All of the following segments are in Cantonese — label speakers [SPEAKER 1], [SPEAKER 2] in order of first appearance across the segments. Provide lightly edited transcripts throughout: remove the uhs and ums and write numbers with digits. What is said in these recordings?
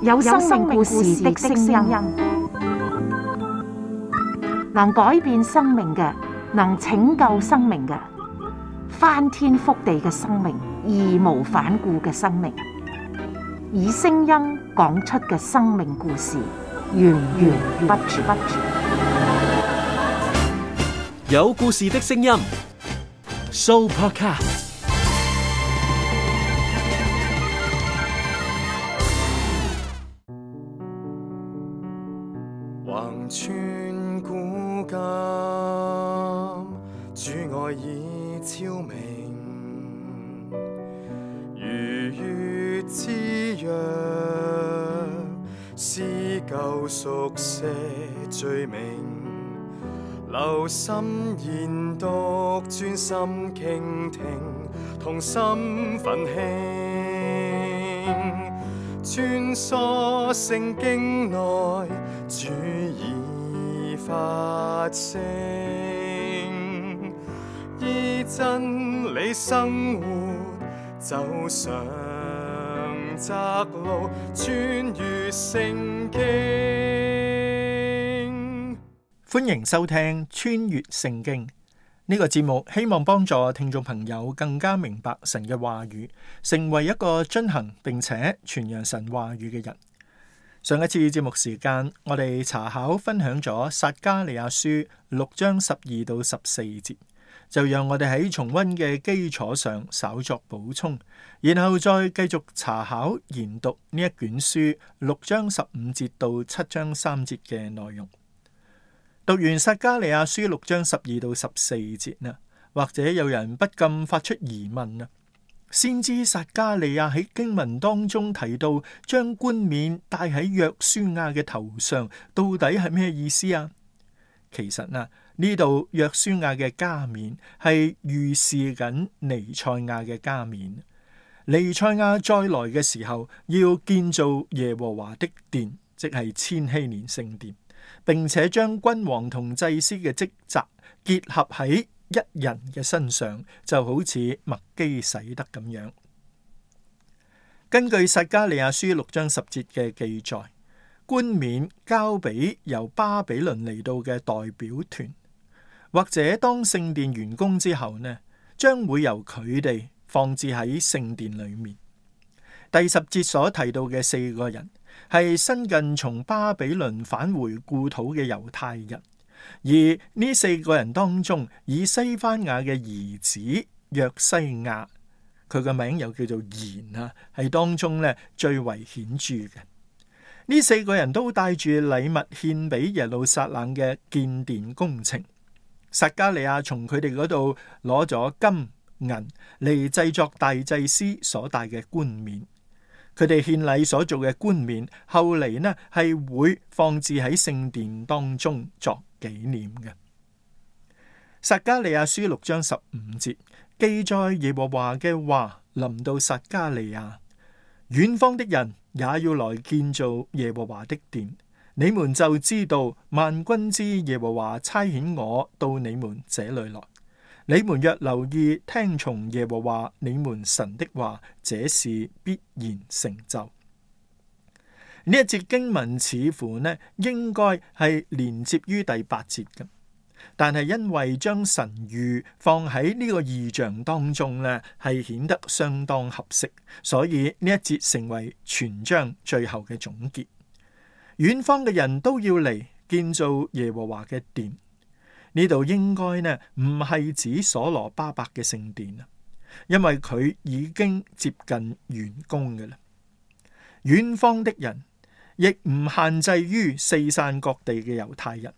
[SPEAKER 1] 有生命故事的聲音，能改變生命嘅，能拯救生命嘅，翻天覆地嘅生命，義無反顧嘅生命，以聲音講出嘅生命故事，源源不絕。
[SPEAKER 2] 有故事的聲音 ，Sooopodcast。
[SPEAKER 3] 橫穿古今，主愛已超明，如月之約，撕舊熟寫罪名，留心研讀，專心傾聽，同心奮興，穿梭聖經內，主已發聲，依真理生活，走上窄路，穿越聖經。
[SPEAKER 4] 歡迎收聽穿越聖經呢個節目，希望幫助聽眾朋友更加明白神嘅話語，成為一個遵行並且傳揚神話語嘅人。上一次節目時間，我哋查考分享咗撒迦利亞書6章12到14節，就讓我哋喺重溫嘅基礎上稍作補充，然後再繼續查考研讀呢一卷書6章15節到7章3節嘅內容。讀完撒迦利亞書6章12到14節啦，或者有人不禁發出疑問啦。先知撒迦利亞喺經文當中提到將冠冕戴喺約書亞嘅頭上，到底係咩意思啊？其實呢度約書亞嘅加冕係預示緊彌賽亞嘅加冕。彌賽亞再來嘅時候，要建造耶和華的殿，即係千禧年聖殿，並且將君王同祭司嘅職責結合喺一人嘅身上，就好似麥基洗德咁樣。根據撒迦利亞書6章10節嘅記載，冠冕交俾由巴比倫嚟到嘅代表團，或者當聖殿完工之後呢，將會由佢哋放置喺聖殿裏面。第10節所提到嘅4個人係新近從巴比倫返回故土嘅猶太人。而呢4個人當中，以西番雅嘅兒子約西亞，佢個名又叫做言啊，係當中咧最為顯著嘅。呢4個人都帶住禮物獻俾耶路撒冷嘅建殿工程。撒迦利亞從佢哋嗰度攞咗金銀嚟製作大祭司所戴嘅冠冕。佢哋獻禮所做嘅冠冕，後嚟呢係會放置喺聖殿當中作紀念嘅。撒迦利亞書6章15節記載耶和華嘅話臨到撒迦利亞，遠方的人也要來建造耶和華的殿，你們就知道萬軍之耶和華差遣我到你們這裏來。你們若留意聽從耶和華你們神的話，這事必然成就。呢一節經文似乎呢應該係連接於第8節嘅，但係因為將神諭放喺呢個異象當中呢，係顯得相當合適，所以呢一節成為全章最後嘅總結。遠方嘅人都要嚟建造耶和華嘅殿。呢度應該呢唔係指所羅巴伯嘅聖殿啊，因為佢已經接近完工嘅啦。遠方的人亦唔限制於四散各地嘅猶太人。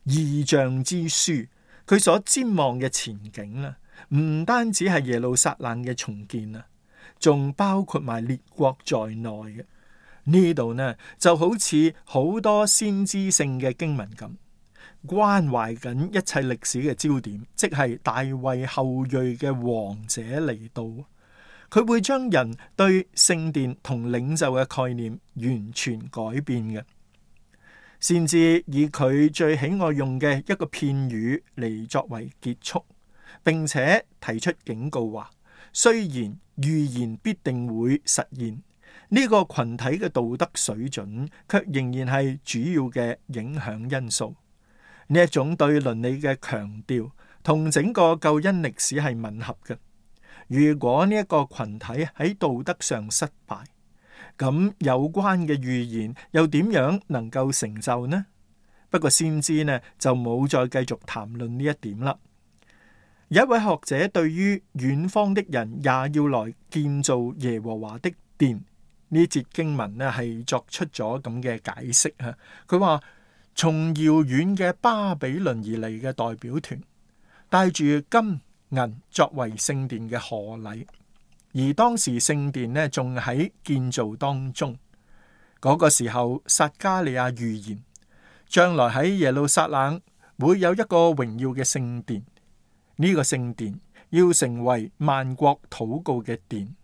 [SPEAKER 4] 異象之書佢所瞻望嘅前景啦，唔單止係耶路撒冷嘅重建啊，仲包括埋列國在內嘅。呢度呢就好似好多先知性嘅經文咁，關懷緊一切歷史嘅焦點，即係大衛後裔嘅王者嚟到。佢會將人對聖殿同領袖嘅概念完全改變嘅。先至以佢最喜愛用嘅一個片語嚟作為結束，並且提出警告話，雖然預言必定會實現，呢個群體嘅道德水準卻仍然係主要嘅影響因素。呢一種對倫理嘅強調同整個救恩歷史係吻合嘅。如果呢一個群體喺道德上失敗，咁有關嘅預言又點樣能夠成就呢？不過先知呢就冇再繼續談論呢一點啦。有一位學者對於遠方的人也要來建造耶和華的殿呢節經文呢係作出咗咁嘅解釋啊。佢話從遙遠嘅巴比倫而嚟嘅代表團帶住金銀作為聖殿嘅賀禮，而當時聖殿呢仲喺建造當中。嗰個時候撒迦利亞預言將來喺耶路撒冷會有一個榮耀嘅聖殿。呢個聖殿要成為萬國禱告嘅殿，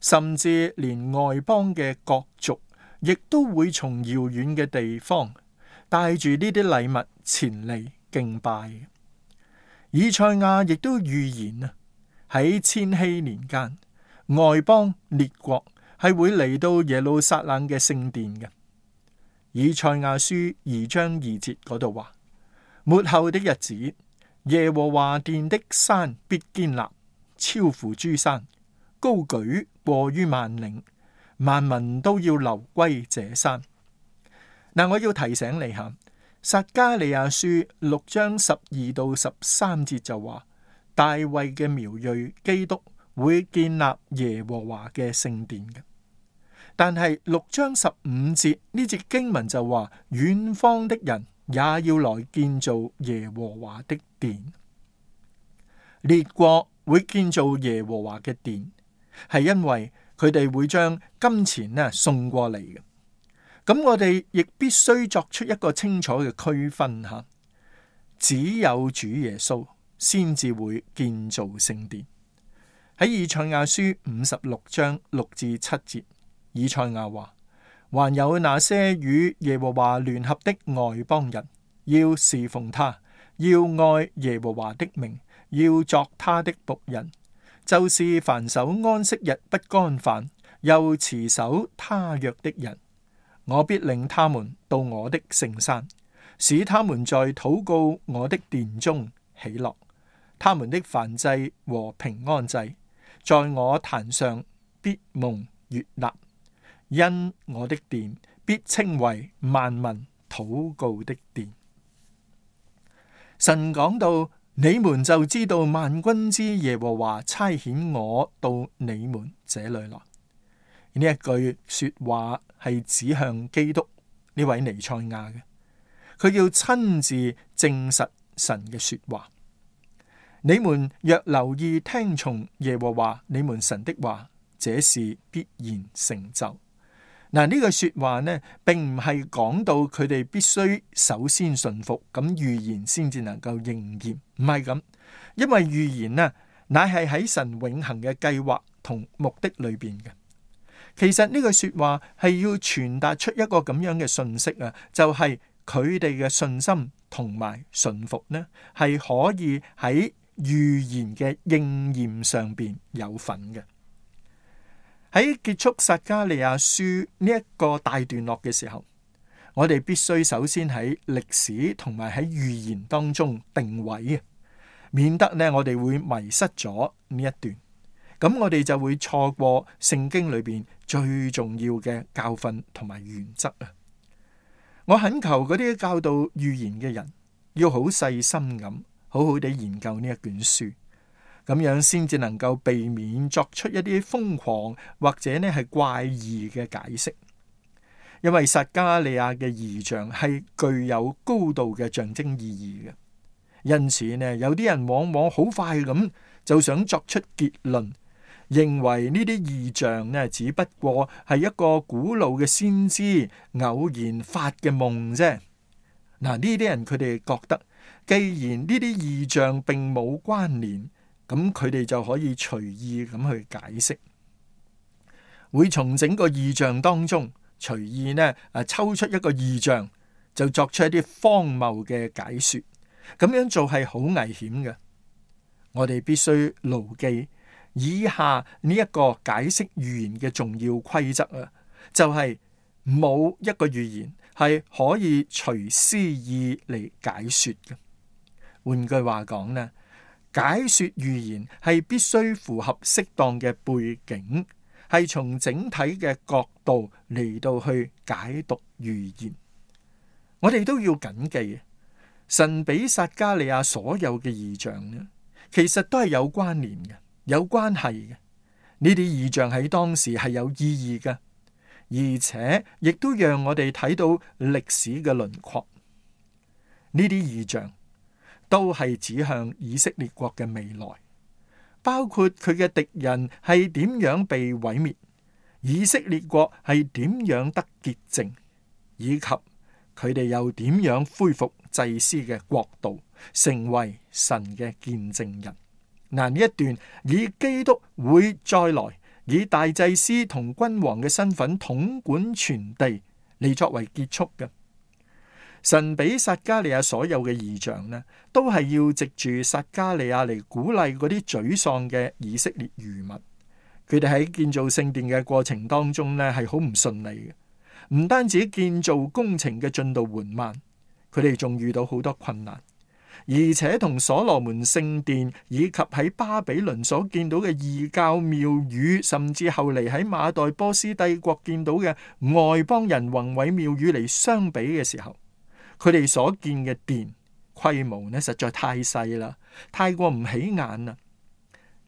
[SPEAKER 4] 甚至連外邦嘅各族亦都會從遙遠嘅地方帶住呢啲禮物前嚟敬拜。以賽亞亦都預言啊，喺千禧年間，外邦列國係會嚟到耶路撒冷嘅聖殿嘅。以賽亞書2章2節嗰度話：末後的日子，耶和華殿的山必堅立，超乎諸山，高舉過於萬嶺，萬民都要流歸這山。嗱，我要提醒你下，撒迦利亞書6章12到13節就話，大衛嘅苗裔基督會建立耶和華嘅聖殿嘅。但係6章15節呢節經文就話，遠方的人也要來建造耶和華的殿。列國會建造耶和華嘅殿，係因為佢哋會將金錢送過嚟嘅。咁我哋亦必須作出一個清楚嘅區分吓，只有主耶穌先至會建造聖殿。喺以賽亞書56章6至7節，以賽亞話：還有那些與耶和華聯合的外邦人，要侍奉他，要愛耶和華的名，要作他的僕人，就是凡守安息日不干犯，又持守他約的人。我必領他們到我的聖山，使他們在禱告我的殿中喜樂。他們的燔祭和平安祭，在我壇上必蒙悅納，因我的殿必稱為萬民禱告的殿。神講到，你們就知道萬軍之耶和華差遣我到你們這裏來。呢一句說話係指向基督呢位彌賽亞嘅，佢要親自證實神嘅說話。你們若留意聽從耶和華你們神的話，這事必然成就。嗱，呢句說話呢，並唔係講到佢哋必須首先順服，咁預言先至能夠應驗，唔係咁，因為預言呢，乃係喺神永恆嘅計劃同目的裏邊嘅。其實呢句說話係要傳達出一個咁樣嘅信息啊，就係佢哋嘅信心同埋順服呢，係可以喺預言嘅應驗上邊有份嘅。喺結束撒迦利亞書呢一個大段落嘅時候，我哋必須首先喺歷史同埋喺預言當中定位，免得呢我哋會迷失咗呢一段。咁我哋就會錯過聖經裏邊最重要嘅教訓同埋原則啊！我懇求嗰啲教導預言嘅人，要好細心咁，好好地研究呢一卷書，咁樣先至能夠避免作出一啲瘋狂或者呢係怪異嘅解釋。因為撒迦利亞嘅異象係具有高度嘅象徵意義嘅，因此呢，有啲人往往好快咁就想作出結論，認為呢啲異象呢，只不過係一個古老嘅先知偶然發嘅夢啫。嗱，呢啲人佢哋覺得，既然呢啲異象並冇關聯，咁佢哋就可以隨意咁去解釋，會從整個異象當中隨意呢抽出一個異象，就作出一啲荒謬嘅解說。咁樣做係好危險嘅。我哋必須牢記以下呢一個解釋預言嘅重要規則啊，就係冇一個預言係可以隨私意嚟解說嘅。換句話講呢，解說預言係必須符合適當嘅背景，係從整體嘅角度嚟到去解讀預言。我哋都要謹記，神俾撒迦利亞所有嘅異象呢，其實都係有關聯嘅，有關係嘅。呢啲異象喺當時係有意義嘅，而且亦都讓我哋睇到歷史嘅輪廓。呢啲異象都係指向以色列國嘅未來，包括佢嘅敵人係點樣被毀滅，以色列國係點樣得潔淨，以及佢哋又點樣恢復祭司嘅國度，成為神嘅見證人。嗱，呢一段以基督會再來，以大祭司同君王嘅身份統管全地嚟作為結束嘅。神俾撒迦利亞所有嘅異象呢，都係要藉住撒迦利亞嚟鼓勵嗰啲沮喪嘅以色列餘民。佢哋喺建造聖殿嘅過程當中呢，係好唔順利嘅，唔單止建造工程嘅進度緩慢，佢哋仲遇到好多困難，而且同所羅門聖殿以及喺巴比倫所見到嘅異教廟宇，甚至後嚟喺馬代波斯帝國見到嘅外邦人宏偉廟宇嚟相比嘅時候，佢哋所見嘅殿規模呢，實在太細啦，太過唔起眼啦。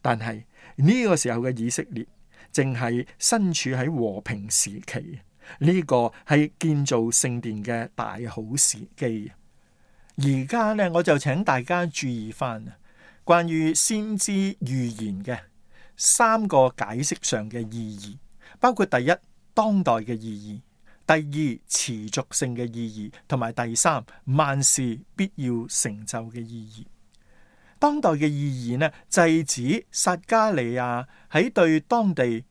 [SPEAKER 4] 但係呢個時候嘅以色列正係身處喺和平時期，呢個係建造聖殿嘅大好時機。而家呢，我就請大家注意翻關於先知預言嘅3個解釋上嘅意義，包括第一，當代嘅意義；第二，持續性嘅意義；同埋第三，萬事必要成就嘅意義。當代嘅意義呢，就係指撒迦利亞喺對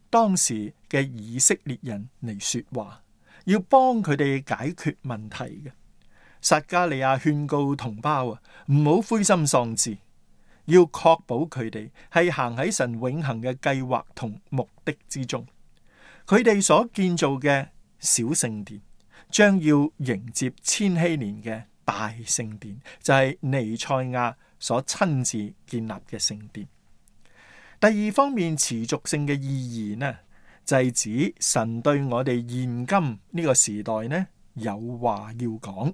[SPEAKER 4] 當時嘅以色列人嚟說話，要幫佢哋解決問題嘅。撒迦利亞勸告同胞唔好灰心喪志，要確保佢哋係行喺神永恆嘅計劃同目的之中。佢哋所建造嘅小聖殿，將要迎接千禧年嘅大聖殿，就係彌賽亞所親自建立嘅聖殿。第二方面，持續性嘅意義呢，就係指神對我哋現今呢個時代呢有話要講。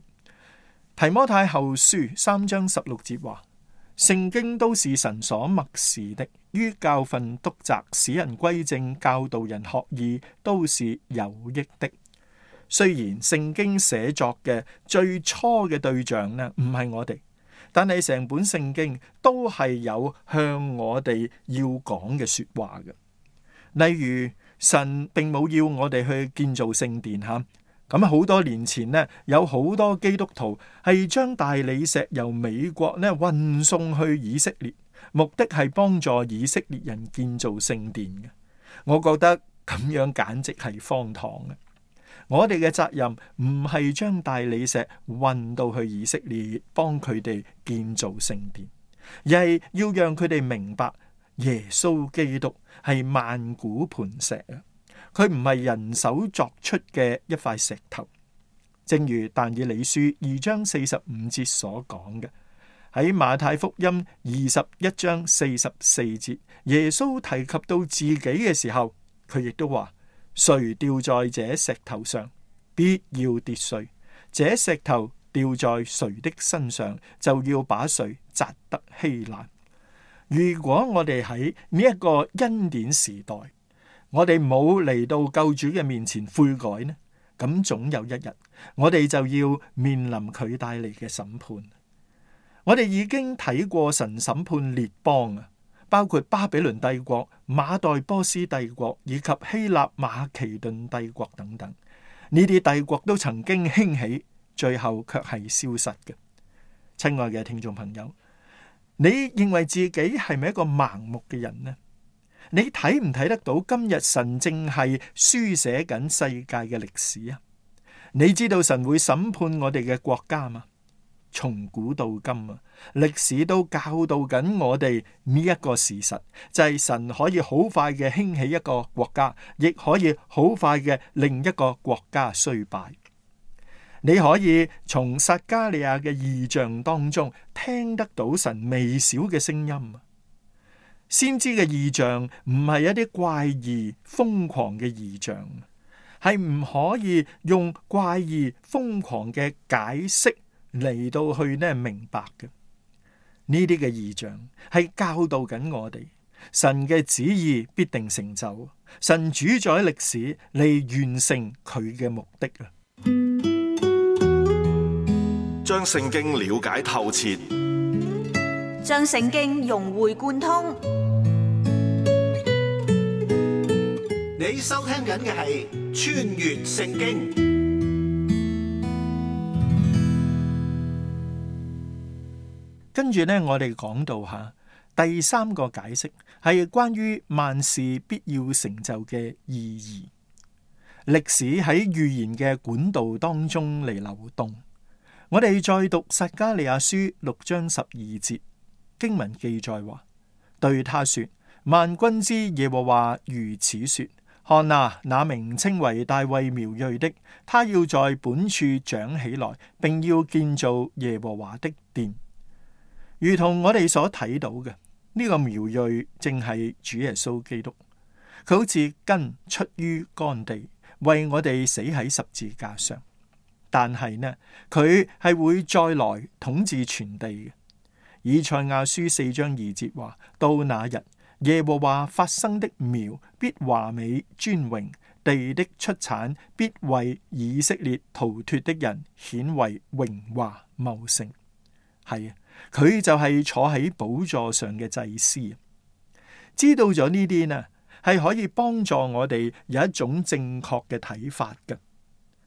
[SPEAKER 4] 提摩太後書3章16節話，聖經都是神所默示的，於教訓、督責、使人歸正、教導人學義，都是有益的。雖然聖經寫作嘅最初嘅對象呢唔係我哋，但係成本聖經都係有向我哋要講嘅說話嘅。例如，神並冇要我哋去建造聖殿吓。咁好多年前呢，有好多基督徒係將大理石由美國呢運送去以色列，目的係幫助以色列人建造聖殿嘅。我覺得咁樣簡直係荒唐嘅。我哋嘅責任唔係將大理石運到去以色列幫佢哋建造聖殿，而係要讓佢哋明白耶穌基督係萬古磐石啊！佢唔係人手作出嘅一塊石頭，正如但以理書2章45節所講嘅。喺馬太福音21章44節，耶穌提及到自己嘅時候，佢亦都話：誰掉在這石頭上，必要跌碎；這石頭掉在誰的身上，就要把誰砸得稀爛。如果我哋喺呢一個恩典時代，我哋冇嚟到救主嘅面前悔改呢，咁總有一日我哋就要面臨佢帶嚟嘅審判。我哋已經睇過神審判列邦啊，包括巴比倫帝國、馬代波斯帝國以及希臘馬其頓帝國等等，呢啲帝國都曾經興起，最後卻係消失嘅。親愛嘅聽眾朋友，你認為自己係咪一個盲目嘅人呢？你睇唔睇得到今日神正係書寫緊世界嘅歷史啊？你知道神會審判我哋嘅國家嗎？從古到今啊，歷史都教導緊我哋呢一個事實，就係神可以好快嘅興起一個國家，亦可以好快嘅令一個國家衰敗。你可以從撒迦利亞嘅異象當中聽得到神微小嘅聲音。先知嘅異象唔係一啲怪異瘋狂嘅異象，係唔可以用怪異瘋狂嘅解釋嚟到去明白嘅。呢啲嘅異象係教導緊我哋，神嘅旨意必定成就，神主宰歷史嚟完成佢嘅目的啊！
[SPEAKER 5] 將聖經了解透徹，
[SPEAKER 6] 將聖經融會貫通。
[SPEAKER 7] 你收聽緊嘅係《穿越聖經》。
[SPEAKER 4] 跟住呢，我哋講到下第三個解釋，係關於萬事必要成就嘅意義。歷史喺預言嘅管道當中嚟流動。我哋再讀撒迦利亞書6章12節，經文記載話：對他說，萬軍之耶和華如此說，看啊，那名稱為大衛苗裔的，他要在本處長起來，並要建造耶和華的殿。如同我哋所睇到嘅，呢個苗裔正係主耶穌基督，佢好似根出於乾地，為我哋死喺十字架上。但係呢，佢係會再來統治全地嘅。以賽亞書4章2節話：到那日，耶和華發生的苗必華美尊榮，地的出產必為以色列逃脫的人顯為榮華茂盛。係啊，佢就係坐喺寶座上嘅祭司。知道咗呢啲呢，係可以幫助我哋有一種正確嘅睇法嘅。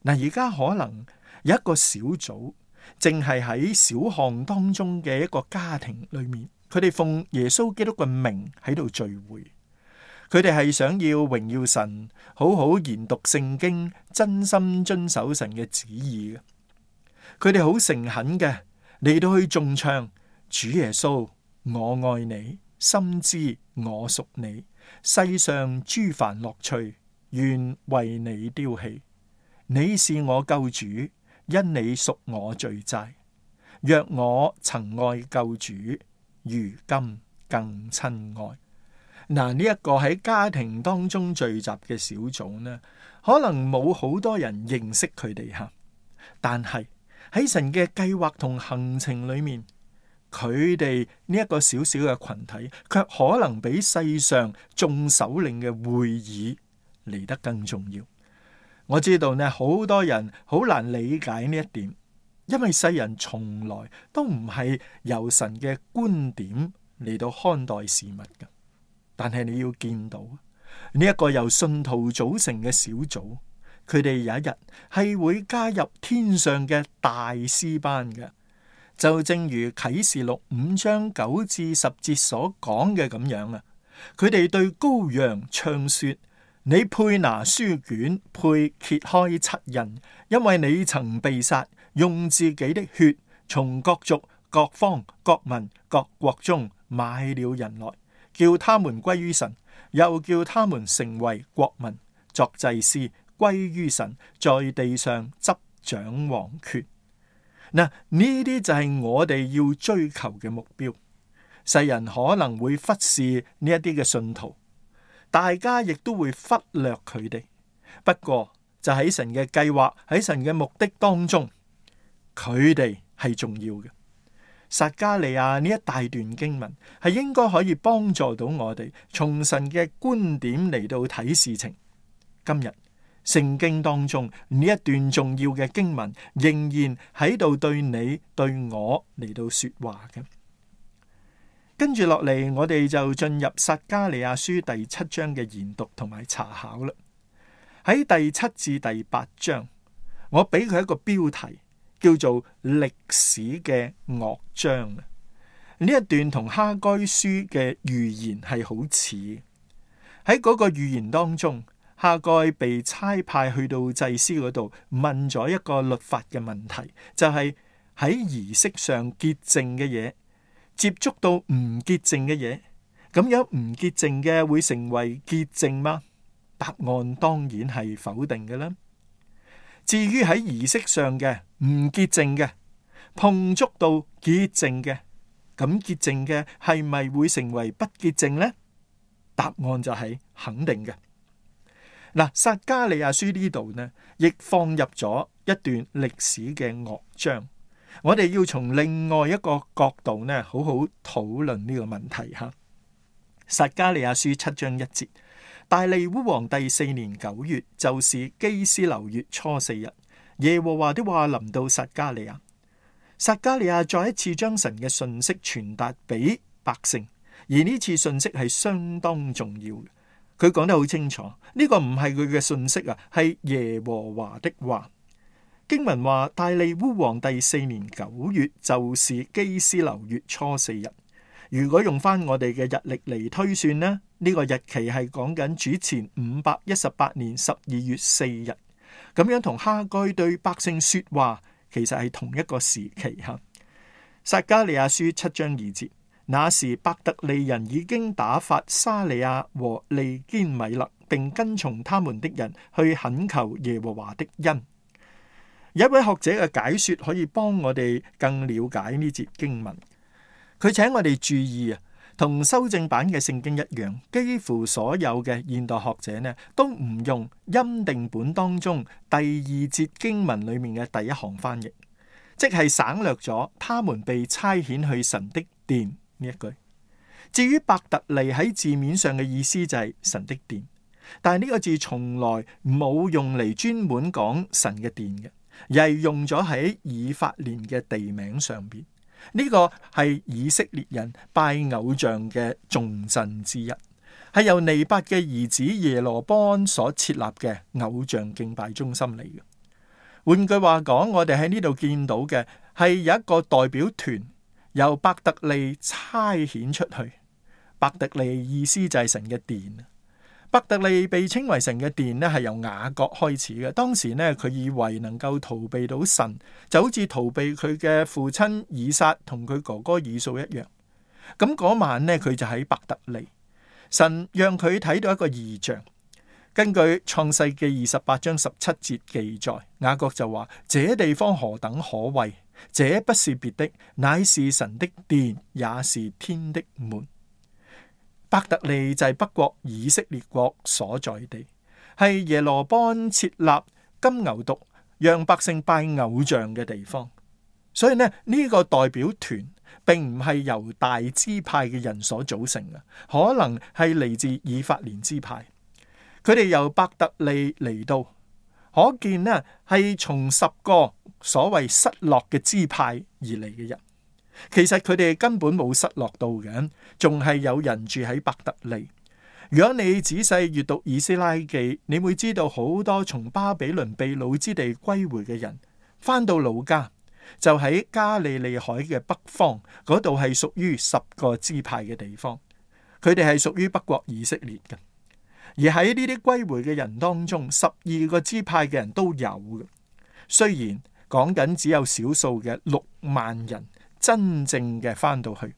[SPEAKER 4] 嗱，而家可能有一個小組，淨係喺小巷當中嘅一個家庭裏面，佢哋奉耶穌基督嘅名喺度聚會，佢哋係想要榮耀神，好好研讀聖經，真心遵守神嘅旨意嘅。佢哋好誠懇嘅嚟到去頌唱：主耶穌，我愛你，深知我屬你，世上諸凡樂趣，願為你丟棄。你是我救主，因你贖我罪債。若我曾愛救主，如今更親愛。嗱，呢一個喺家庭當中聚集嘅小組呢，可能冇好多人認識佢哋吓，但係喺神嘅計劃同行程裏面，佢哋呢一個小小嘅群體，卻可能比世上眾首領嘅會議嚟得更重要。我知道呢，好多人好難理解呢一點，因為世人從來都唔係由神嘅觀點嚟到看待事物嘅。但係你要見到呢一個由信徒組成嘅小組，佢哋有一日係會加入天上嘅大師班嘅。就正如啟示錄5章9至10節所講嘅咁樣啊，佢哋對羔羊唱說：你配拿書卷，配揭開七印，因為你曾被殺，用自己的血從各族、各方、各民、各國中買了人來，叫他們歸於神，又叫他們成為國民，作祭司，歸於神，在地上執掌王權。嗱，呢啲就係我哋要追求嘅目標。世人可能會忽視呢一啲嘅信徒，大家亦都會忽略佢哋。不過就喺神嘅計劃，喺神嘅目的當中，佢哋係重要嘅。撒迦利亞呢一大段經文係應該可以幫助到我哋從神嘅觀點嚟到睇事情。今日聖經當中呢一段重要嘅經文仍然喺度對你對我嚟到說話嘅。跟住落嚟，我哋就進入撒迦利亞書第7章嘅研讀同埋查考啦。喺第7至第8章，我俾佢一個標題，叫做歷史嘅樂章。呢一段同哈該書嘅預言係好似。喺嗰個預言當中，哈該被差派去到祭司嗰度問咗一個律法嘅問題，就係喺儀式上潔淨嘅嘢，接觸到唔潔淨嘅嘢，咁樣唔潔淨嘅會成為潔淨嗎？答案當然係否定嘅啦。至於喺儀式上嘅唔潔淨嘅，碰觸到潔淨嘅，咁潔淨嘅係咪會成為不潔淨呢？答案就係肯定嘅。嗱，撒迦利亞書呢度呢，亦放入咗一段歷史嘅樂章。我哋要從另外一個角度呢，好好討論呢個問題吓。撒迦利亞書7章1節，大利烏王第4年9月，就是基斯流月初4日，耶和華的話臨到撒迦利亞。撒迦利亞再一次將神嘅信息傳達俾百姓，而呢次信息係相當重要嘅。佢講得好清楚，呢個唔係佢嘅信息啊，係耶和華的話。經文話大利烏王第4年9月，就是基斯流月初4日。如果用翻我哋嘅日曆嚟推算呢，呢個日期係講緊主前518年12月4日。咁樣同哈該對百姓說話，其實係同一個時期吓。撒迦利亞書7章2節，那時伯特利人已經打發沙利亞和利堅米勒，並跟從他們的人去懇求耶和華的恩。有一位學者嘅解說可以幫我哋更了解呢節經文。佢請我哋注意啊，同修正版嘅聖經一樣，幾乎所有嘅現代學者呢，都唔用欽定本當中第2節經文裏面嘅第一行翻譯，即係省略咗他們被差遣去神的殿呢一句。至於伯特利喺字面上嘅意思就係神的殿，但係呢個字從來冇用嚟專門講神嘅殿嘅，而係用咗喺以法蓮嘅地名上邊。呢個係以色列人拜偶像嘅重鎮之一，係由尼八嘅兒子耶羅波安所設立嘅偶像敬拜中心嚟嘅。換句話講，我哋喺呢度見到嘅係有一個代表團由伯特利差遣出去。伯特利意思就係神嘅殿。伯特利被稱為神嘅殿呢，係由雅各開始嘅。當時呢，佢以為能夠逃避到神，就好似逃避佢嘅父親以撒同佢哥哥以掃一樣。咁嗰晚呢，佢就喺伯特利，神讓佢睇到一個異象。根據創世記28章17節記載，雅各就話：這地方何等可畏！這不是別的，乃是神的殿，也是天的門。伯特利就係北國以色列國所在地，係耶羅波安設立金牛犢讓百姓拜偶像嘅地方。所以呢，呢個代表團並唔係由大支派嘅人所組成嘅，可能係嚟自以法蓮支派。佢哋由伯特利嚟到，可見呢係從10個所謂失落嘅支派而嚟嘅人。其實佢哋根本冇失落到嘅，仲係有人住喺伯特利。如果你仔細閱讀以斯拉記，你會知道好多從巴比倫被擄之地歸回嘅人，翻到老家就喺加利利海嘅北方，嗰度係屬於10個支派嘅地方。佢哋係屬於北國以色列嘅。而喺呢啲歸回嘅人當中，12個支派嘅人都有嘅。雖然講緊只有少數嘅6萬人真正嘅翻到去。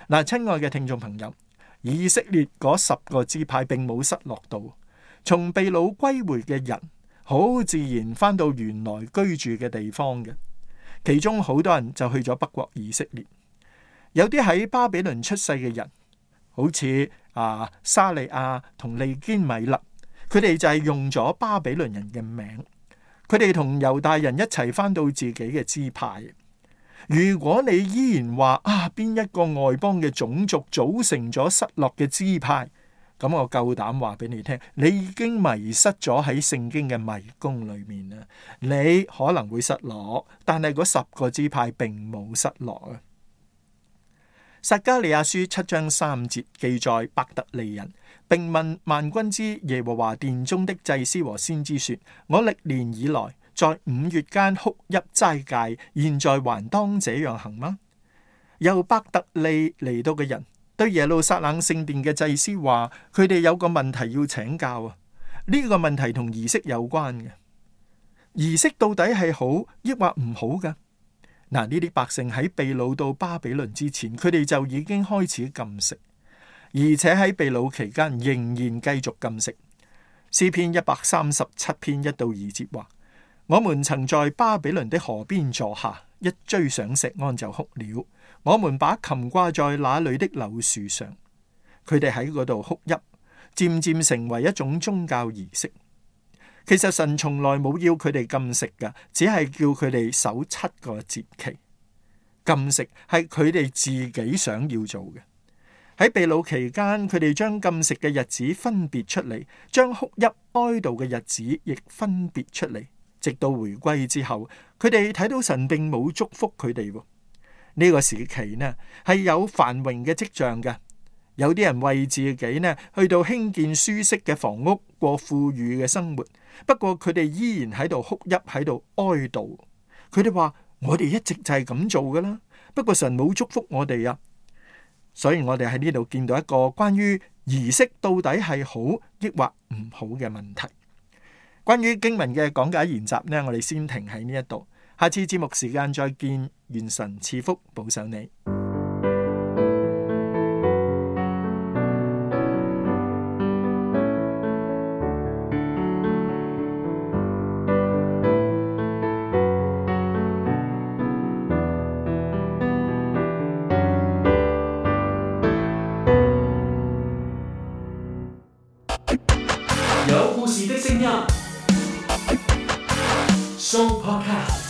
[SPEAKER 4] 嗱，親愛嘅聽眾朋友，以色列嗰10個支派並冇失落到，從被擄歸回嘅人好自然翻到原來居住嘅地方嘅。其中好多人就去咗北國以色列，有啲喺巴比倫出世嘅人，好似沙利亞同利堅米勒，佢哋就係用咗巴比倫人嘅名，佢哋同猶大人一齊翻到自己嘅支派。如果你依然話邊一個外邦嘅種族組成咗失落嘅支派，咁我夠膽話俾你聽，你已經迷失咗喺聖經嘅迷宮裏面啦。你可能會失落，但係嗰10個支派並冇失落啊。撒迦利亞書7章3節記載，伯特利人並問萬軍之耶和華殿中的祭司和先知說：我歷年以來在5月間哭泣齋戒，現在還當這樣行嗎？由伯特利嚟到嘅人對耶路撒冷聖殿嘅祭司話，佢哋有個問題要請教啊！呢個問題同儀式有關嘅。儀式到底係好抑或唔好噶？嗱，呢啲百姓喺被擄到巴比倫之前，佢哋就已經開始禁食，而且喺被擄期間仍然繼續禁食。詩篇137篇1到2節話：我們曾在巴比倫的河邊坐下，一追上錫安就哭了。我們把琴掛在那裏的柳樹上。佢哋喺嗰度哭泣，漸漸成為一種宗教儀式。其實神從來冇要佢哋禁食㗎，只係叫佢哋守7個節期。禁食係佢哋自己想要做嘅。喺被擄期間，佢哋將禁食嘅日子分別出嚟，將哭泣哀悼嘅日子亦分別出嚟。直到回歸之後，佢哋睇到神並冇祝福佢哋。呢個時期呢係有繁榮嘅跡象嘅。有啲人為自己呢去到興建舒適嘅房屋，過富裕嘅生活。不過佢哋依然喺度哭泣，喺度哀悼。佢哋話：我哋一直就係咁做噶啦，不過神冇祝福我哋啊。所以我哋喺呢度見到一個關於儀式到底係好抑或唔好嘅問題。關於經文嘅講解研習呢，我哋先停喺呢一度。下次節目時間再見，願神賜福保守你。
[SPEAKER 2] 有故事的聲音，Show Podcast。